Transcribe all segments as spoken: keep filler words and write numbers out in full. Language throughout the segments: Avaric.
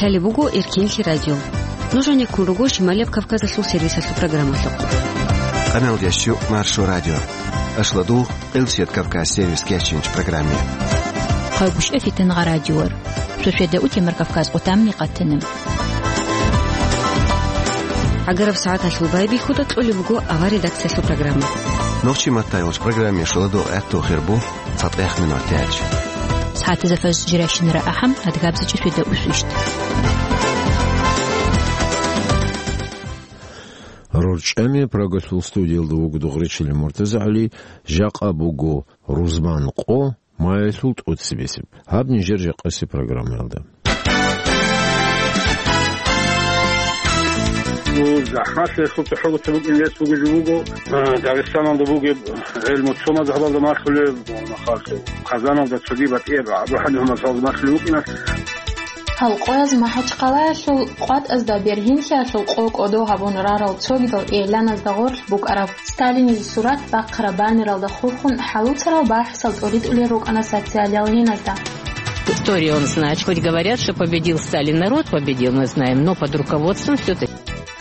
Лъалеб буго Эркинлъи радио. Нуж гьанеккун руго Шималияб Кавказалъул сервисалъул программалъухъ. Къаналдияс щу Маршо радио. Ашладу, Къилсият Кавказ сервис кечинч программе. Хъайгъушъа фитангъа радиор. Шошеда утемар Кавказ къутамни къатана. Агараб сагӀаталъул байбихьуда кьолеб буго авар редакциялъул программа. Нохчи маттайолч программе шуладу гӀатту хирбу. ЦатӀехъ минутач. СагӀатазда фажр жирашинара ахӀам, адгабзичӀи шведа усвищт. РорчӀами Прагалъул студиялда вуго Дугъричилин МуртазагӀали, жакъа буго рузман къо, маялъул тӀоцебесеб. Гьаб нижер жакъаси программаялда. Ну, захӀмалъи хутӀа хӀугьутаб букӀин рес бугеб жо буго, а, Дагъистаналда бугеб гӀелму цо мазгьабалда малъулеб, махалъе, Казаналда цоги батӀияб Абу ХӀанифа мазгьабалда малъулеб букӀина. Халкъояз МахӀачхъалаялъул къватӀазда бергьинлъиялъул къо кӀодо гьабун рарал цогидал игӀланазда гъорлъ букӀараб Сталинизе сурат бахъараб баннералда хурхун хӀалуцарал бахӀсал тӀуритӀулел рукӀана социалиялгьиназда. История он знает, хоть говорят, что победил Сталин, народ победил, мы знаем, но под руководством всё-таки.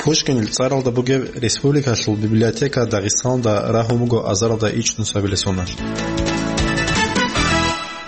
Пушкинил цӀаралда бугеб республикалъул библиотека Дагъистаналда рагьун буго азаралда ичӀнусабилеб соналъ.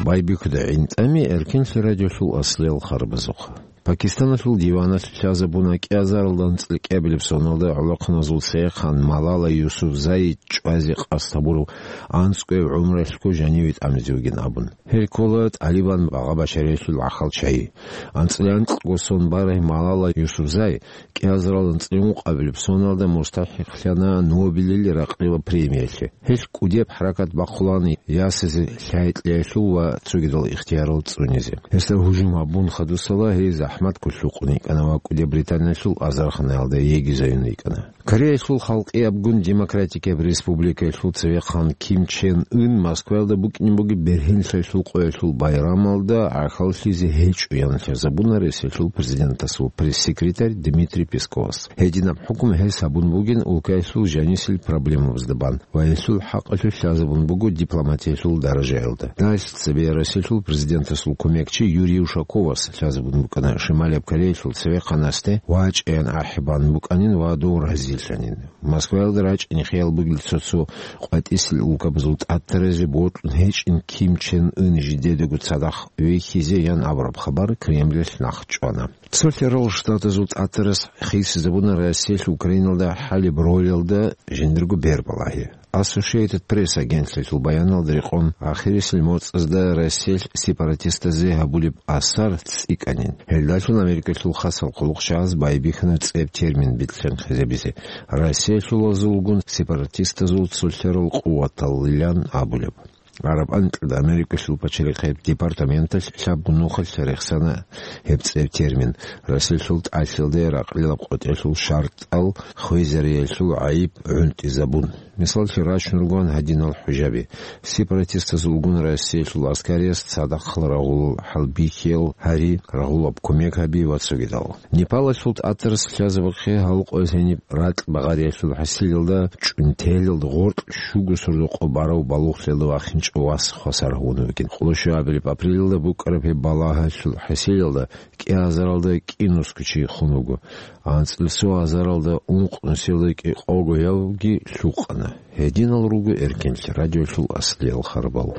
Байбихьуда гӀинтӀами Эркинлъи радиолъул аслиял харбазухъ. Пакистаналъул диваналъ лъазабуна кӀиазаралда анцӀила кӀиабилеб соналда гӀолохъаназул цевехъан Малала Юсуфзай чӀвазе къасд гьабурав анцӀгояб гӀумруялъго жаниве тӀамизе вугин абун. Гьел ккола ТӀалибан багъа-башариялъул гӀахьал чагӀи. АнцӀила анкьго сон барай Малала Юсуфзай кӀиазаралда анцӀила ункъабилеб соналда мустахӀикълъана Нобелил ракълила премиялъе. Гьелъ кӀудияб хӀаракат бахъулаан ясазе лъай-кьеялъул ва цогидал ихтиярал цӀунизе. Гьесда гьужум гьабун хадусала гьей захӀмат кколъукъун йикӀана ва кӀудияб Британиялъул азарханаялда йигизаюн йикӀана. Кореялъул Халкъиябгун Демократикияб Республикаялъул цевехъан Ким Чен Ын Москваялда букӀине бугеб бергьенлъиялъул къоялъул байрамалда гӀахьаллъизе гьечӀо ян лъазабуна Россиялъул президентасул пресс-секретарь Дмитрий Песковас. Гьединаб хӀукму гьес гьабун бугин улкаялъул жанисел проблемабазда бан ва гьелъул хӀакъалъулъ лъазабун буго дипломатиялъул даражаялда. Дагьалъ цебе Россиялъул президентасул кумекчи Юрий Ушаковас лъазабун букӀана Шималияб Кореялъул цевехъанасде вачӀаян ахӀи бан букӀанин ва дов разилъанин. Москваялда рачӀине хиял бугел цо-цо къватӀисел улкабазул тӀатаразе бокьун гьечӀин Ким Чен Ын жидедаго цадахъ вихьизе ян абураб хабар Кремлалъ нахъчӀвана. Цолъарал Штатазул тӀатарас хисизабуна Россиялъ Украиналда хӀалеб ролалда жиндирго бер балагьи. Associated Press агентствоялъул баяналда рекъон, ахирисел моцӀазда Россиялъ сепаратистазе гьабулеб асар цӀикӀкӀанин. Гьелдалъун Америкалъул хасал хъулухъчагӀаз байбихьана цӀеб термин бицлъанхъизабизе: Россиялъулазулгун сепаратистазул цолъарал къуваталлилан абулеб. Араб анкьида Америкалъул пачалихъияб департаменталъ лъабго нухалъ рехсана гьеб цӀеб термин, Россиялъул тӀалъилде ракълилаб къотӀиялъул шартӀал хвезариялъул гӀайиб гӀунтӀизабун. Мисаллъи рачун ругоан гьадинал хӀужаби: сепаратистазулгун Россиялъул аскарияс цадахъал рагъулал хӀалбихьиял гьари, рагъулаб кумек гьаби ва цогидал. Непалалъул тӀатарас лъазабухъе гьалкъояз гьениб ракь багъариялъул хӀасилалда чӀунтелалда гъоркь щуго сордо-къо барав балугълъиялда вахинчӀев вас хвасар гьавун вугин. Къоло щуабилеб апрелалда букӀараб гьеб балагьалъул хӀасилалда кӀиазаралда кӀинусго чи хун вуго. АнцӀила цо азаралда ункънусиялда кӀикъого явги лъукъана. Гьединал руго Эркинлъи радиолъул аслиял харбал.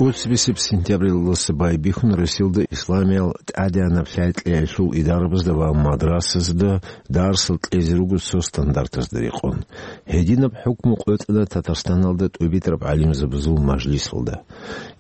ТӀоцебесеб сентябрилдаса байбихьун Россиялда исламиял тӀадегӀанаб лъай-кьеялъул идарабазда ва мадрасазда дарсал кьезе руго цо стандартазда рекъон. Гьединаб хӀукму къотӀана Татарстаналда тӀубитӀараб гӀалимзабазул мажлисалда.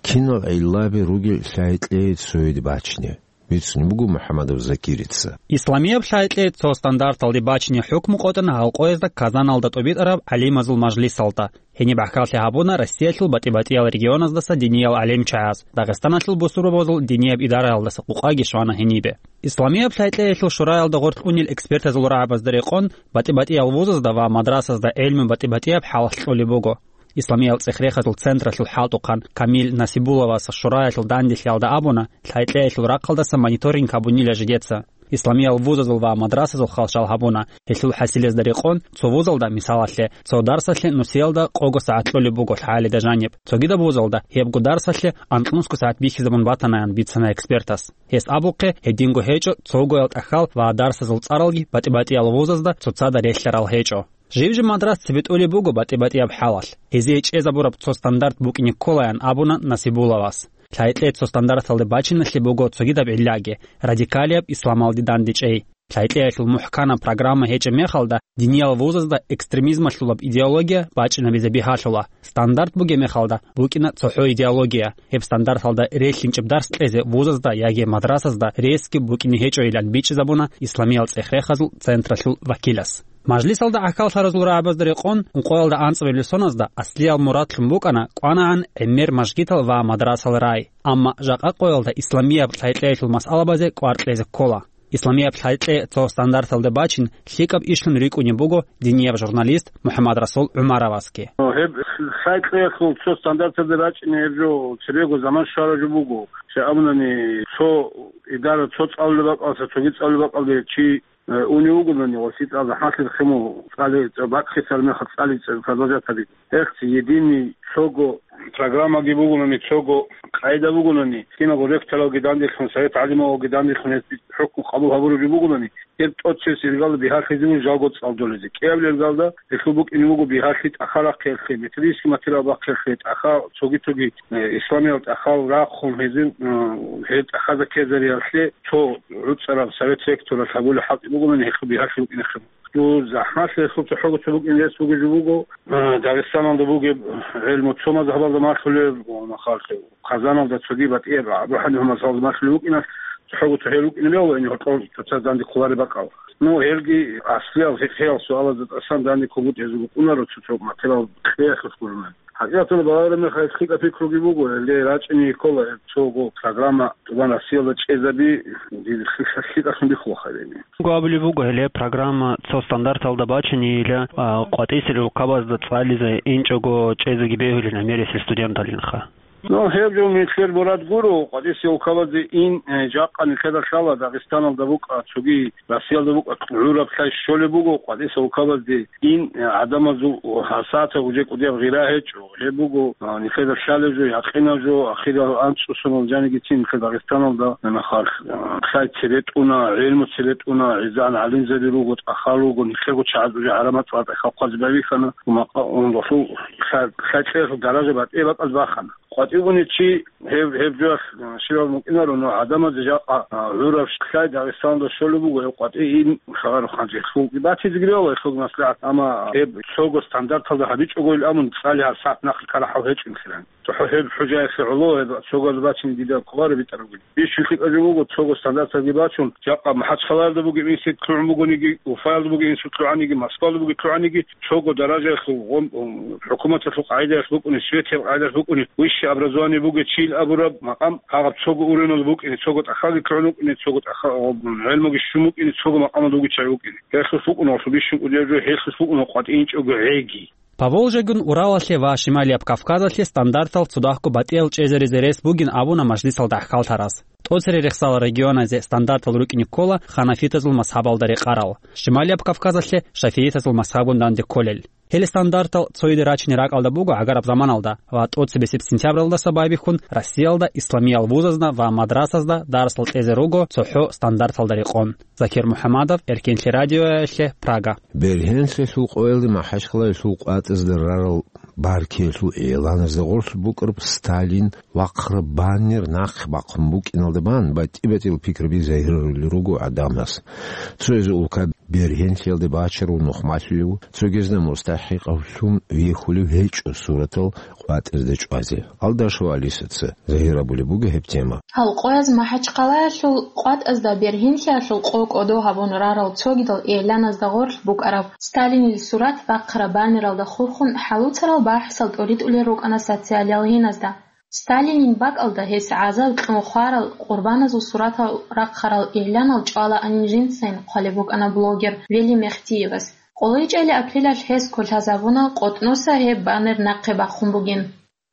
Кинал гӀиллаби ругел лъай-кьей цояде бачине? Бицунеб буго МухӀаммадов Закирица. Исламияб лъай-кьей цо стандарталде бачине хӀукму къотӀана гьалкъоязда Казаналда тӀубитӀараб гӀалимазул мажлисалда. Гьениб гӀахьаллъи гьабуна Россиялъул батӀи-батӀиял регионаздаса диниял гӀалимчагӀаз, Дагъистаналъул бусурбабазул динияб идараялдаса къукъаги щвана гьенибе. Исламияб лъай-кьеялъул шураялда гъорлъ унел экспертазул рагӀабазда рекъон, батӀи-батӀиял вузазда ва мадрасазда гӀелму батӀи-батӀияб хӀалалъ кьолеб буго. Исламиял цӀех-рехазул централъул хӀалтӀухъан Камил Насибулловас шураялъул данделъиялда абуна, лъай-кьеялъул рахъалдаса мониторинг гьабунила жидеца. Исламиял вузазул ва мадрасазул хал щал гьабуна. Гьелъул хӀасилезда рекъон, цо вузалда, мисалалъе, цо дарсалъе нусиялда къого сагӀат кьолеб буго лъагӀалида жаниб. Цогидаб вузалда гьебго дарсалъе анкьнусго сагӀат бихьизабун батанаян бицана экспертас. Гьес абухъе, гьединго гьечӀо цогоял тӀахьал ва дарсазул цӀаралги батӀи-батӀиял вузазда цоцазда релълъарал гьечӀо. Жиб-жиб мадрас цебетӀолеб буго батӀи-батӀияб хӀалалъ. Гьезие чӀезабураб цо стандарт букӀине кколаян абуна Насибулловас. Лъайкье цо стандарталде бачиналъе буго цогидаб гӀиллаги: радикалияб исламалде дандечӀей. Лъайкьеялъул мухӀканаб программа гьечӀеб мехалда, диниял вузазда экстремизмалъулаб идеология бачӀинабизе бигьалъула. Стандарт бугеб мехалда, букӀина цохӀо идеология. Гьеб стандарталда релълъинчӀеб дарс кьезе вузазда яги мадрасазда ресги букӀине гьечӀойилан бичӀчӀизабуна исламиял цӀех-рехазул централъул вакилас. Мажлисалда гӀахьаллъаразул рагӀабазда рекъон, ункъоялда анцӀабилеб соназда аслиял мурадлъун букӀана кӀванагӀан гӀемер мажгитал ва мадрасал рай. Амма жакъа къоялда исламияб лъайкьеялъул масъалабазе кӀвар кьезе ккола. Исламияб лъайкье цо стандарталде бачин лъикӀаб ишлъун рикӀкӀунеб буго динияб журналист МухӀаммадрасул ГӀумаровасги. Гьеб лъайкьеялъул цо стандарталде рачӀине гьеб жо цебего заман щвараб жо буго. Щай абунани, цо идара цо цӀалулеб бакӀалдаса цоги цӀалулеб бакӀалде чи, э, унев вугони, ва лъикӀал захӀмалъи хъиму цӀали-, цӀа-, бакӀлъисар мехалъ цӀали-, цӀа-, продолжать гьабизе. Гьелъ единый цого программаги бугони, цого къайда бугони, киналго ректоралги данделъун, совет гӀалималги данделъун гьес хӀукму къабул гьабураб жо бугони, гьеб тӀоцебесеб иргалда бигьалъизе буго жалго цӀалдолезе. КӀиабилеб иргалда гьелъул букӀине буго бигьалъи тӀахьал рахъиялъе, методический материал бахъиялъе, тӀахьал цоги-цоги, э, исламиял тӀахьал рахъун гьезин, э, гьел тӀахьазда ккезариялъе цо гӀуцӀараб совет ректоралъ гьабулеб хӀалтӀи бугони, гьелъул бигьалъи букӀине хъиб. Дун захӀмалъи гьелъул цохӀого цо букӀин рес бугеб жо буго, э, Дагъистаналда бугеб гӀелму цо мазгьабалда малъулеб, ва махалъе Казаналда цоги батӀияб Абу ХӀанифа мазгьабалда малъулеб букӀиналъ цохӀого цо гьел рукӀине бегьула, ин гьоркьор цоцаз данде кколареб бакӀал. Ну, гьелги аслиял фикъгьиял суалазда тӀасан данде кколгутӀизе букӀунаро цо-цо материал кьеялъулъ гурони. ХӀакъикъаталда балагьараб мехалъ лъикӀаб пикруги буго, гьелде рачӀине ккола гьеб цого программа тӀубан Россиялда чӀезаби, дир лъикӀалъун бихьула хайрени. Гьабулеб буго гьеле программа цо стандарталда бачинейила, а, къватӀисел улкабазда цӀализе инчӀого чӀезеги бегьулин гӀемерисел студенталинха. Ну, гьеб жо нилъер мурад гуро, къватӀисел улкабазде ин, э, жакъа нилъеда лъала Дагъистаналда букӀа, цоги Россиялда букӀа гӀураб лъай щолеб буго, къватӀисел улкабазде ин, э, гӀадамазул гьасата гьужекӀудияб гъира гьечӀо. Гьеб буго, а, нилъеда лъалеб жо, якъинаб жо, ахирал анцӀусунал жанигицин нилъер Дагъистаналда нахъа, а, лъай цебетӀуна, гӀелму цебетӀуна, гӀезегӀан гӀалимзаби руго, тӀахьал руго, нилъего чагӀаз уже гӀарамат цӀар тӀехьалхъазе байбихьана, ва макъа-, ундулъул лъай-, лъай кьеялъул даража батӀи бакӀаз бахана. КъватӀивгуни чи гьеб, гьеб жоялъ, а, щибаб мукӀинаро, но гӀадамазе жакъа, а, гӀураб лъай Дагъистаналда щолеб буго, гьеб къватӀи ин хабар хъанчӀелъул. Батизеги бегьула гьелъул маслигӀат, амма гьеб цого стандарталда гьабичӀого ил абун, цӀали гьаб сагӀат нахъе ккарахӀал гьечӀин хиран. ЦохӀо гьеб хӀужаялъе гӀоло, гьеб цогоялда бачине дида кколаро битӀарабгин. Бищун лъикӀаб жо буго, цого стандарталги бачун, жакъа МахӀачхъалаялда бугеб институт лъугӀун бугониги, Уфаялда бугеб институт лъугӀаниги, Москваялда бугеб лъугӀаниги, цого даражаялъул гъом-, ум, хӀукуматалъул къагӀидаялъ букӀуни, светияб къагӀидаялъ букӀуни, высшее образование бугев чийил абураб макъам гьагъаб цого уровеналда букӀине, цого тӀахьалги лъугӀун вукӀине, цого тӀахьа-, гъоб-, гӀелмуги щун букӀине, цого макъамалда вугев чагӀи вукӀине. Гьелъулъ букӀуна гьелъул бищун кӀудияб жо, гьелъулъ букӀуна къватӀинчӀого гӀеги. Поволжьегун Уралалъе ва Шималияб Кавказалъе стандартал цодахъго батӀиял чӀезаризе рес бугин абуна мажлисалда гӀахьаллъараз. ТӀоцере рехсал регионазе стандартал рукӀине ккола ханафитазул мазгьабалда рекъарал, Шималияб Кавказалъе шафиитазул мазгьабгун данде кколел. Гьел стандартал цояде рачине ракӀалда буго гӀагараб заманалда ва тӀоцебесеб сентябралдаса байбихьун Россиялда исламиял вузазда ва мадрасазда дарсал кьезе руго цохӀо стандарталда рекъон. Закир МухӀамадов, Эркенлъи радиоялъе, Прага. Бергьенлъиялъул къоялде МахӀачхъалаялъул къватӀазда рарал баркиялъул игӀланазда гъорлъ букӀараб Сталин вахъараб баннер нахъе бахъун букӀиналда бан батӀи-батӀиял пикраби загьирарулел руго гӀадамаз. Цояз улкаялда бергьенлъиялде бачарав нухмалъулев, цогиязда мустахӀикъавлъун вихьулев гьечӀо суратал къватӀазда чӀвазе. Алдашева Алисаца загьир гьабулеб буго гьеб тема. Гьал къояз МахӀачхъалаялъул къватӀазда бергьенлъиялъул къо кӀодо гьабун рарал цогидал игӀланазда гъорлъ букӀараб Сталинил сурат бахъараб баннералда хурхун хӀалуцарал бахӀсал тӀоритӀулел рукӀана социалиялгьиназда. Сталинил бакӀалда гьес гӀазаб кьун хварал къурбаназул суратал рахъарал игӀланал чӀвалаанин жинцайин хъвалеб букӀана блогер Вели Мехтиевас. КъолайчӀели апрелалъ гьес кколъазабуна, къотӀноса гьеб баннер нахъе бахъун бугин.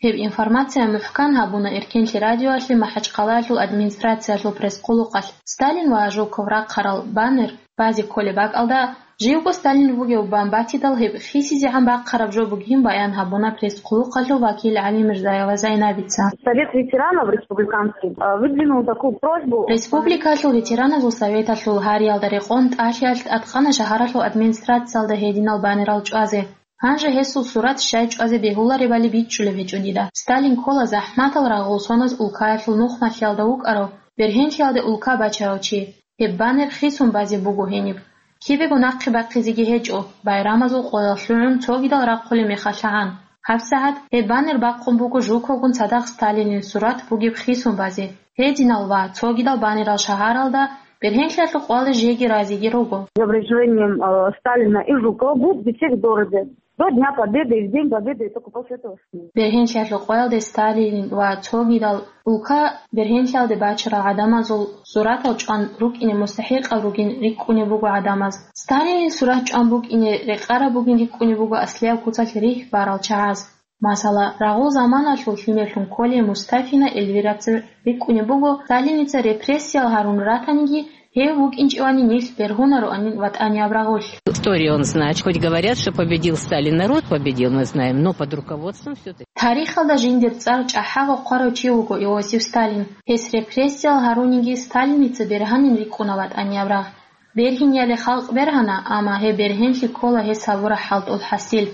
Гьеб информация мухӀкан гьабуна Эркенлъи радиоялъе МахӀачхъалаялъул администрациялъул пресс-хъулухъалъ. Сталин ва Жуков рахъарал баннер базе кколеб бакӀалда, живго Сталин вугев бан батидал, гьеб хисизегӀан бахъараб жо бугин баян гьабуна пресс-хъулухъалъул вакил ГӀалимирзаева Зайнабица. Совет ветеранов республиканский, э, выдвинул такую просьбу. Республикалъул ветераназул советалъул гьариялда рекъон тӀалъиялъ тӀадкъана шагьаралъул администрациялда гьединал баннерал чӀвазе. Гьанже гьесул сурат щай чӀвазе бегьуларебали бичӀчӀулеб гьечӀо дида. Сталин ккола захӀматал рагъул соназ улкаялъул нухмалъиялда вукӀарав, бергьенлъиялде улка бачарав чи. Гьеб баннер хисун базе буго гьениб. Кибего нахъе бахъизеги гьечӀо, байрамазул къоялъ лъугӀун цогидал рахъулеб мехалъагӀан. ГьабсагӀат гьеб баннер бахъун буго Жуковгун цадахъ Сталинил сурат бугеб хисун базе. Гьединал ва цогидал баннерал шагьаралда бергьенлъиялъул къоялда жеги разиги руго. Изображением, э, Сталина и Жукова будут висеть в городе. До Дня Победы и в День Победы, и только после этого снимут. Бергьенлъиялъул къоялде Сталин ва цогидал улка бергьенлъиялде бачарал гӀадамазул суратал чӀван рукӀине мустахӀикъал ругин рикӀкӀунеб буго гӀадамаз. Сталинил сурат чӀван букӀине рекъараб бугин рикӀкӀунеб буго аслияб куцалъ рихь барал чагӀаз. Масала, рагъул заманалъул лъимерлъун кколей Мустафина Эльвирацин рикӀкӀунеб буго, Сталиница репрессиял гьарун ратаниги, гьев вукӀинчӀевани нилъ бергьунароанин ватӀанияб рагъулъ. Историю он знает. Хоть говорят, что победил Сталин, народ победил, мы знаем, но под руководством всё-таки. Тарихалда жиндир цӀар чӀахӀаго хъварав чи вуго Иосиф Сталин. Гьес репрессиял гьаруниги Сталиница бергьанин рикӀкӀуна ватӀанияб рагъ. Бергьинияли халкъ бергьана, амма гьеб бергьенлъи ккола гьес гьабураб хӀалтӀул хӀасил.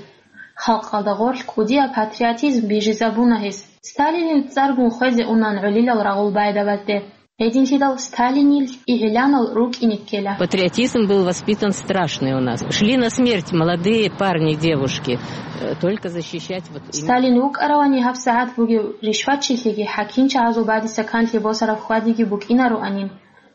Халкъалда гъорлъ кӀудияб патриотизм бижизабуна гьес. Сталинил цӀаргун хвезе унан гӀолилал рагъул байдабазде. Гьединлъидал Сталинил игӀланал рукӀине ккела. Патриотизм был воспитан страшный у нас. Шли на смерть молодые парни, девушки, э, только защищать вот именно. Сталин вукӀаравани гьабсагӀат бугев ришватчилъиги хӀакимчагӀазул бадиса канлъи босараб хьвадиги букӀинароанин.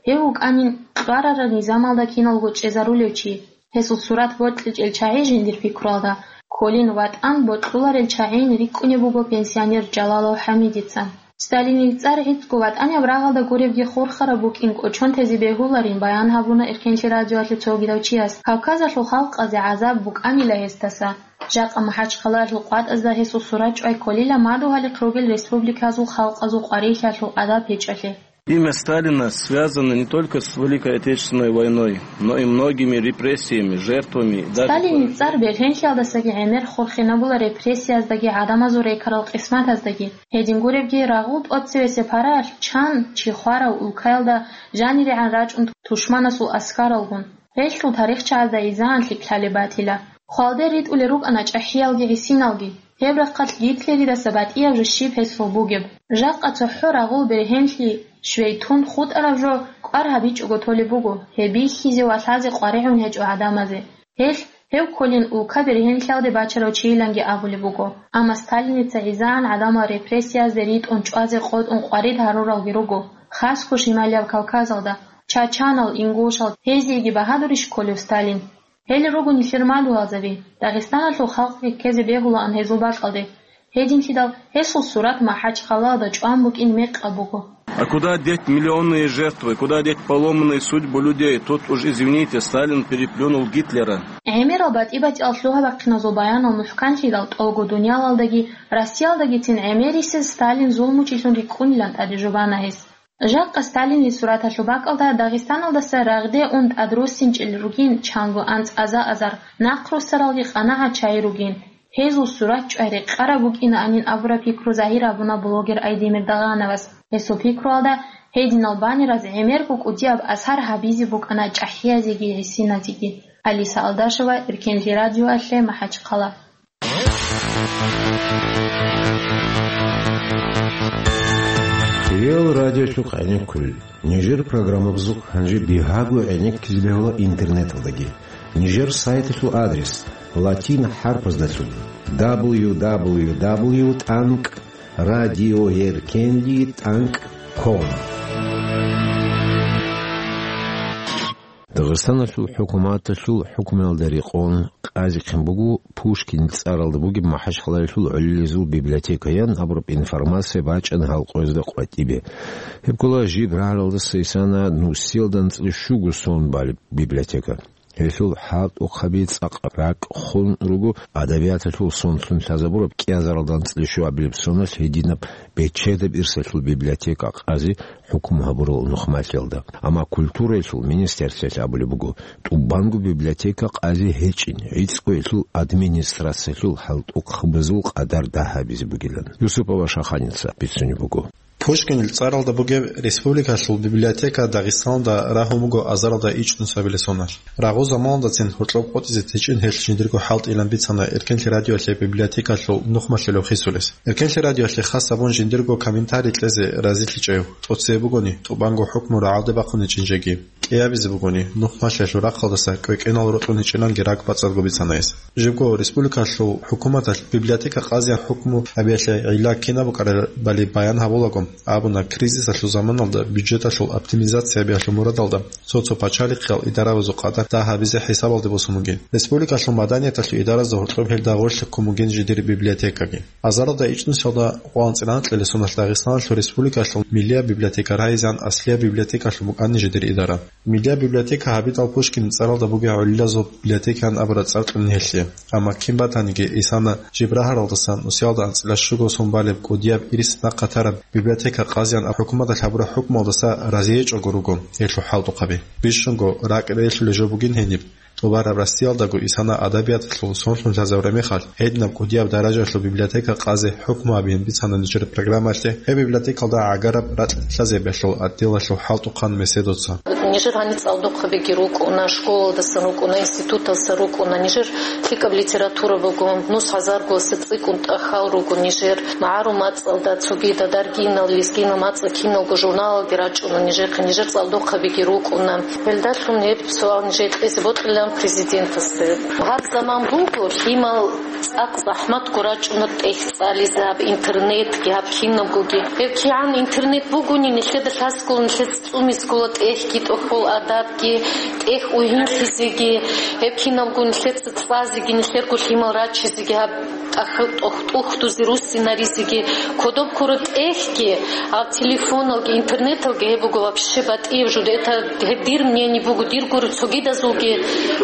Гьев вукӀанин кьварараб низамалда киналго чӀезарулев чи. Гьесул сурат бокьичӀел чагӀи жиндир пикруялда кколин ватӀан бокьуларел чагӀийин рикӀкӀунеб буго пенсионер Жалалов ХӀамидица. Сталинил цӀар гӀицӀго ватӀанияб рагъалда гуребги хурхараб букӀин кӀочон тезе бегьуларин баян гьабуна Эркенлъи радиоялъе цогидав чияс. Кавказалъул халкъазе гӀазаб букӀанила гьесдаса. Жакъа МахӀачхъалаялъул къватӀазда гьесул сурат чӀвай кколила мадугьалихъ ругел республиказул халкъазул къварилъиялъул адаб гьечӀолъи. Имя Сталина связано не только с Великой Отечественной войной, но и многими репрессиями, жертвами и даже Сталинил цӀар бергьенлъиялдасаги гӀемер хурхинабула репрессияздаги гӀадамазул рекарал къисматаздаги. Гьедин гуребги, рагъул тӀоцевесеб параялъ чан чи хварав улкаялда жанирегӀан рачӀун тушманасул аскаралгун. Гьелъул тарихчагӀазда изаан лъикӀлъалеб батила. Хвалде ритӀулел рукӀана чӀахӀиялги гӀисиналги. Гьеб рахъалъ Гитлеридаса батӀияб жо щиб гьесул бугеб. Жакъа цохӀо рагъул бергьенлъи щвей тун хутӀараб жо кӀвар гьабичӀого толеб буго, гьеб бихьизе ва лъазе къваригӀун гьечӀо гӀадамазе. Гьелъ, гьев кколин улка бергьенлъиялде бачарав чийиланги абулеб буго. Амма Сталиница гӀизаан гӀадамал репрессиязде ритӀун чӀвазе къотӀун къварид гьаруралги руго, хасго Шималияб Кавказалда, чачанал, ингушал, гьезиеги багьадурищ кколев Сталин? Гьел руго нилъер мадугьалзаби, Дагъистаналъул халкъги ккезе бегьулаан гьезул бакӀалде. Гьединлъидал гьесул сурат МахӀачхъалаялда чӀван букӀин мекъаб буго. А куда деть миллионные жертвы, куда деть поломанные судьбы людей? Тут уж, извините, Сталин переплюнул Гитлера. ГӀемерал батӀи-батӀиял лъугьа-бахъиназул баянал мухӀканлъидал тӀолго дуниялалдаги, Россиялдагицин гӀемерисез Сталин зулмучилъун рикӀкӀунилан тӀаде жубана гьес. Жакъа Сталинил сураталъул бакӀалда Дагъистаналдаса рагъде ун тӀадруссинчӀел ругин чанго анцӀаза азар, нахъруссаралги къанагӀат чагӀи ругин. Гьезул сурат чӀвай рекъараб букӀинаанин абураб пикру загьир гьабуна блогер Айдемир Дагъановас. Гьесул пикруялда, гьединал баннераз гӀемерго кӀудияб асар гьабизе букӀана чӀахӀиязеги гӀисиназеги. Алиса Алдашева, Эркенлъи радиоялъе, МахӀачхъала. Реал радиолъухъ гӀенеккулел. Нижер программабазухъ гьанже бигьаго гӀенеккизе бегьула интернеталдаги. Нижер сайталъул адрес латин хӀарпаздалъун: дабл ю дабл ю дабл ю тӀанкӀ радиоеркенлъи тӀанкӀ ком. Дагъистаналъул хӀукуматалъул хӀукмуялда рекъон къазихъин буго Пушкин цӀаралда бугеб МахӀачхъалаялъул гӀолилезул библиотекаян абураб информация бачӀана гьал къоязда къватӀибе. Гьеб ккола жиб рагӀаралдаса исана нусиялда анцӀила щуго сон балеб библиотека. Гьелъул хӀалтӀухъаби цӀакъ ракӀ хун руго адабияталъул сонлъун лъазабураб кӀиазаралда анцӀила щуабилеб соналъ гьединаб бечедаб ирсалъул библиотека къазе хӀукму гьабурал нухмалъиялда. Амма культураялъул министерствоялъ абулеб буго, тӀубанго библиотека къазе гьечӀин, гӀицӀго гьелъул администрациялъул хӀалтӀухъабазул къадар дагь гьабизе бугилан. Юсупова Шаханица бицунеб буго. Пушкинил цӀаралда бугеб республикалъул библиотека Дагъистаналда рагьун буго азаралда ичӀнусабилеб соналъ. Рагъу заманалдацин гьоркьоб къотӀизе течӀин гьелъ жиндирго хӀалтӀилан бицана Эркенлъи радиоялъе библиотекалъул нухмалъулев хисулес. Эркенлъи радиоялъе хас гьабун жиндирго комментарий кьезе разилъичӀев, тӀоцебе бугони, тӀубанго хӀукму рагӀалде бахъун гьечӀин жеги. КӀиабизе бугони, нухмалъиялъул рахъалдаса кӀвекӀенал рокьун гьечӀинанги ракӀбацӀцӀадго бицана гьес. Жибго республикалъул хӀукуматалъ библиотека къазеян хӀукму гьабиялъе гӀилла кинаб букӀарабали баян гьабулаго, абуна, кризисалъул заманалда бюджеталъул оптимизация гьабиялъул мурадалда цо-цо пачалихъиял идарабазул къадар дагь гьабизе хӀисабалде босун бугин. Республикалъул маданияталъул идаразда гьоркьоб гьелда гъорлъ ккун бугин жидер библиотекаги. Азаралда ичӀнусиялда къо анцӀила анкьила соналъ Дагъистаналъул республикалъул миллияб библиотека райизан аслияб библиотекалъун букӀана жидер идара. Миллияб библиотека гьабидал Пушкин цӀаралда бугеб гӀолилазул библиотекаан абураб цӀар кьун гьелъе. Амма кин батаниги, исана жиб рагьаралдасан нусиялда анцӀила щуго сон балеб кӀудияб ирис нахъ гьатараб библиотека къазеян хӀукуматалъ гьабураб хӀукмуялдаса разиечӀого руго гьелъул хӀалтӀухъаби. Бищунго ракӀ релълъулеб жо бугин гьениб. ТӀубараб Россиялдаго исана адабияталъул сонлъун лъазабураб мехалъ, гьединаб кӀудияб даражаялъул библиотека къазе хӀукму гьабиин бицана нижер программаялъе, гьеб библиотекалда гӀагараб ракь лъазабиялъул отделалъул хӀалтӀухъан Меседоца. Нижер гьаниб цӀалдохъабиги рукӀуна, школалдасан рукӀуна, институталдаса рукӀуна, нижер лъикӀаб литература буго, нус гьазаргоялдаса цӀикӀкӀун тӀахьал руго нижер, магӀарул мацӀалда, цогидал даргинал, лезгинал мацӀал киналго журналалги рачӀуна нижехъе, нижер цӀалдохъабиги рукӀуна. Гьелдалъун гьеб суал нижее кьезе бокьилан президентасда. Гьаб заман буго, лъимал цӀакъ захӀматго рачӀуна тӀехь цӀализе гьаб интернетги, гьаб кинабгоги. Гьеб кигӀан интернет бугони, нилъеда лъаскула, нилъеца цӀумискула тӀехьги, тӀохьол адабги, тӀехь угьинлъизеги, гьеб кинабго нилъеца цӀазеги, нилъерго лъимал рачизеги гьаб тӀах-, тӀох-, тӀухьдузе руссинаризеги, кодоб ккураб тӀехьги, гьаб телефоналги, интернеталги гьеб буго вообще батӀияб жо. Это гьеб дир мнение буго, дир гуро цогидазулги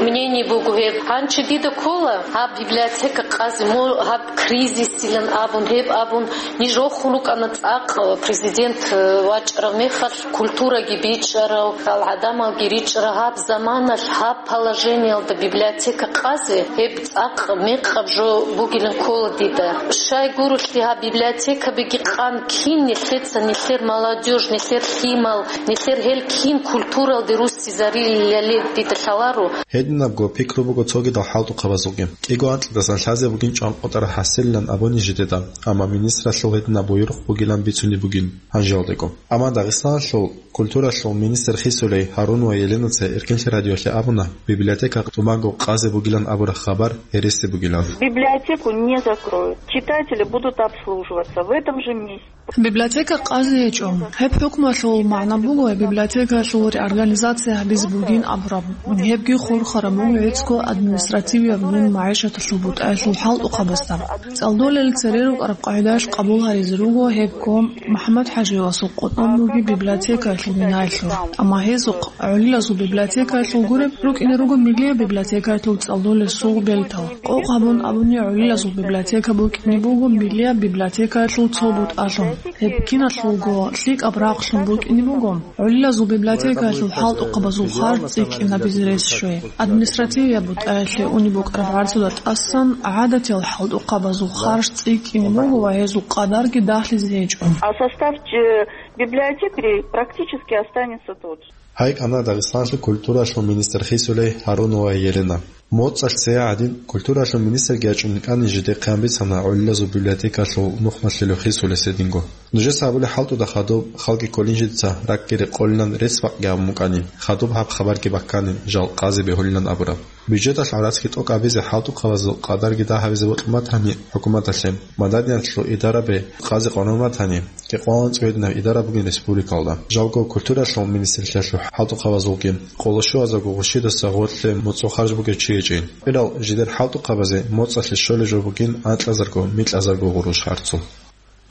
мнение буго гьеб. Гьанчи дида ккола гьаб библиотека къазе, мо-, гьаб кризисилан абун, гьеб абун, ниж рохун рукӀана цӀакъ президент, э, вачӀарав мехалъ, культураги бичӀчӀарав, гьал гӀадамалги ричӀчӀарав гьаб заманалъ гьаб положениялда библиотека къазе, гьеб цӀакъ мекъаб жо бугилан ккола дида. Щай гурелъул гьаб библиотекабиги къан кин нилъеца, нилъер молодёжь, нилъер лъимал, нилъер гьел кин культуралде руссизарилали дида лъаларо. Гьединабго пикру буго цогидал хӀалтӀухъабазулги. КӀиго анкьидасан лъазе бугин чӀванкъотӀараб хӀасилилан абуни жидеда, амма министралъул гьединаб буюрухъ бугилан бицунеб бугин гьанжалдего. Амма Дагъистаналъул культуралъул министр хисулей Гьарунова Еленаца Эркенлъи радиоялъе абуна, библиотека тӀубанго къазе бугилан абураб хабар гьереси бугилан. Библиотеку не закроют. Читатели будут обслуживаться в этом же месте. Библиотека къазе гьечӀо. Гьеб хӀукмуялъул магӀна буго, библиотекаялъул реорганизация гьабизе бугин абураб. Гьебги хурхараб буго гӀицӀго административияб мун магӀишаталъул бутӀаялъул хӀалтӀухъабазда. ЦӀалдолел цере рукӀараб къагӀидаялъ къабул гьаризе руго гьебго МухӀаммад-ХӀаживасул къотӀун бугеб библиотекаялъул бинаялъул. Амма гьезухъ гӀолилазул библиотекаялъул гуреб рукӀине руго миллияб библиотекаялъул цӀалдолел сугъ бертал. Къокъ гьабун абуни, гӀолилазул библиотека букӀине буго миллияб библиотекаялъул цо бутӀалъун. Гьеб киналъулго лъикӀаб рахълъун букӀине буго. ГӀолилазул библиотекаялъул хӀалтӀухъабазул харж цӀикӀкӀинабизе рес щвей. Административияб бутӀаялъе унеб букӀараб гӀарцуда тӀасан гӀадатиял хӀалтӀухъабазул харж цӀикӀкӀине буго ва гьезул къадарги дагьлъизе гьечӀо. А состав, э, библиотекарей практически останется тот же. Гьай кӀана Дагъистаналъул культуралъул министр хисулей Гьарунова Елена. МоцӀалъ цее гӀадин, культуралъул министрги ячӀун кӀани жидехъе гьанбицана гӀолилазул библиотекалъул нухмалъулев хисулес гьединго. Нужеца абулеб хӀалтӀуда хадуб, халги кколин жидеца ракӀги рекъолилан рецц-бакъги гьабун букӀани, хадуб гьаб хабарги баккани, жал къазе бегьулилан абураб. Бюджеталъ гӀарацги тӀокӀабизе хӀалтӀухъабазул къадарги дагь гьабизе бокьун батани хӀукуматалъе, маданияталъул идарабе къазе къваригӀун батани, кӀикъоялда анцӀила гьединаб идара бугин республикалда. Жалго культуралъул министрлъиялъул хӀалтӀухъабазулги къоло щуазарго гъущидаса гъорлъе моцӀ харж бугев чи гьечӀин. Гьеб жидер хӀалтӀухъабазе моцӀалъе щолеб жо бугин анкьазарго, микьазарго гъурущ харцул.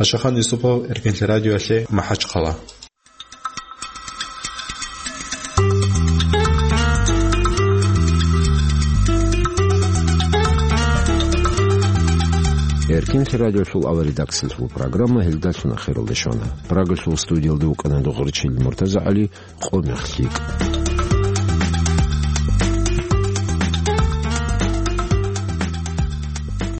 Ашахан Юсупов, Эркенлъи радиоялъе, МахӀачхъала. Эркинлъи радиолъул авария редакциялъул программа гьелдалъун ахиралде щвана. Прагалъул студиялда вукӀана Дугъричил МуртазагӀали. Къо мех лъикӀ.